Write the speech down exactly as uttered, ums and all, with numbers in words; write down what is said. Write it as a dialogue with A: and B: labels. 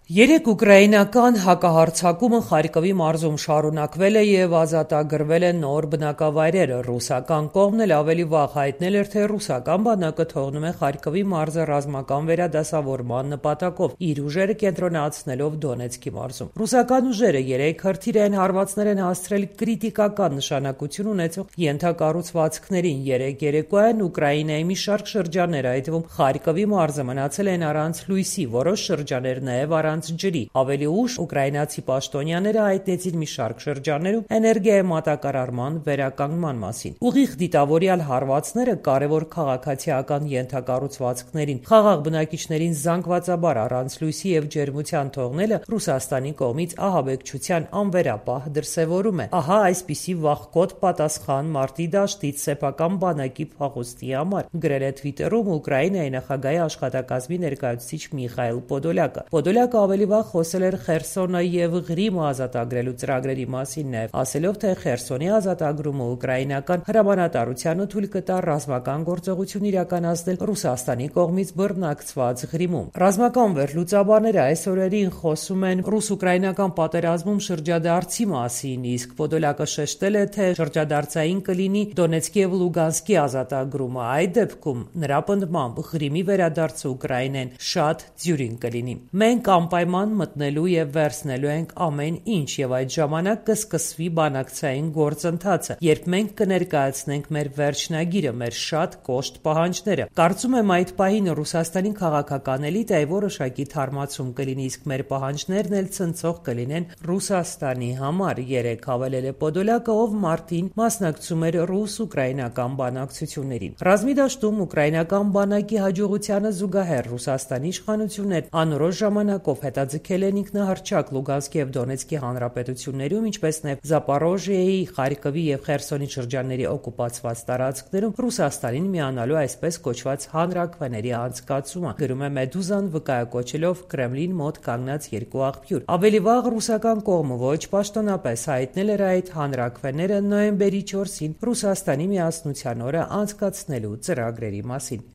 A: Երեք ուկրաինական հակահարձակումը Խարկովի մարզում շարունակվել է և ազատագրվել են նոր բնակավայրեր։ Ռուսական կողմն էլ ավելի վաղ հայտնել էր, թե ռուսական բանակը թողնում է Խարկովի մարզը ռազմական վերադասավորման նպատակով, իր ուժերը կենտրոնացնելով Դոնեցկի մարզում։ Ռուսական ուժերը երեք հրթիռային հարվածներ են հասցրել կրիտիկական նշանակություն ունեցող ենթակառուցվածքներին։ Երեկ երեկոյան Ուկրաինայի մի շարք շրջաններ, այդ թվում Խարկովի մարզը, մնացել են առանց լույսի, որոշ շրջաններ նաև առանց ջրի։ Ավելի ուշ ուկրաինացի պաշտոնյաները հայտնեցին մի շարք շրջաններում էներգիայի մատակարարման վերականգնման մասին։ Ուղիղ դիտավորյալ հարվածները կարևոր քաղաքացիական ենթակառուցվածքներին, խաղաղ բնակիչներին զանգվածաբար առանց լույսի և ջերմության թողնելը Ռուսաստանի կողմից ահաբեկչության անվերապահ դրսևորում է։ Ահա այսպիսի վախկոտ պատասխան մարտի դաշտից սեփական բանակի փախուստի համար, գրել է Թվիտերում Ուկրաինայի նախագահի աշխատակազմի ներկայացուցիչ Միխայիլ Պոդոլյակը։ Պոդոլյակը ավելի վաղ խոսել էր Խերսոնը և Ղրիմը ազատագրելու ծրագրերի մասին, նաև ասելով, թե Խերսոնի ազատագրումը ուկրաինական հրամանատարությանը թույլ կտա ռազմական գործողություն իրականացնել Ռուսաստանի կողմից բռնակցված Ղրիմում։ Ռազմական վերլուծաբանները այս օրերին խոսում են ռուս-ուկրաինական պատերազմում շրջադարձի մասին, իսկ Պոդոլյակը շեշտել է, թե շրջադարձային կլինի Դոնեցկի և Լուգանսկի ազատագրումը։ Այդ դեպքում, նրա պնդմամբ, Ղրիմի վերադարձը Ուկրաինային շատ դյուրին կլինի։ Մենք անպայման մտնելու և վերցնելու ենք ամեն ինչ, և այդ ժամանակ կսկսվի բանակցային գործընթացը, երբ մենք կներկայացնենք մեր վերջնագիրը, մեր շատ կոշտ պահանջները։ Կարծում եմ, այդ պահին Ռուսաստանի քաղաքական էլիտայի որոշակի թարմացում կլինի, իսկ մեր պահանջներն էլ ցնցող կլինեն Ռուսաստանի համար, երեկ հավելել է Պոդոլյակը, ով մարտին մասնակցում էր ռուս-ուկրաինական բանակցություններին։ Ռազմի դաշտում ուկրաինական բանակի հաջողությանը զուգահեռ Ռուսաստանի իշխանություններն անորոշ ժամանակով հետաձգել են ինքնահռչակ Լուգանսկի և Դոնեցկի հանրապետություններում, ինչպես նաև Զապորոժիեի, Խարկովի և Խերսոնի շրջանների օկուպացված տարածքներում Ռուսաստանին միանալու այսպես կոչված հանրաքվեների անցկացումը, գրում է Մեդուզան, վկայակոչելով Կրեմլին մոտ կանգնած երկու աղբյուր։ Ավելի վաղ ռուսական կողմը ոչ պաշտոնապես հայտնել էր այդ հանրաքվեները նոյեմբերի չորսին Ռուսաստանի միասնության օրը անցկացնելու ծրագրերի մասին։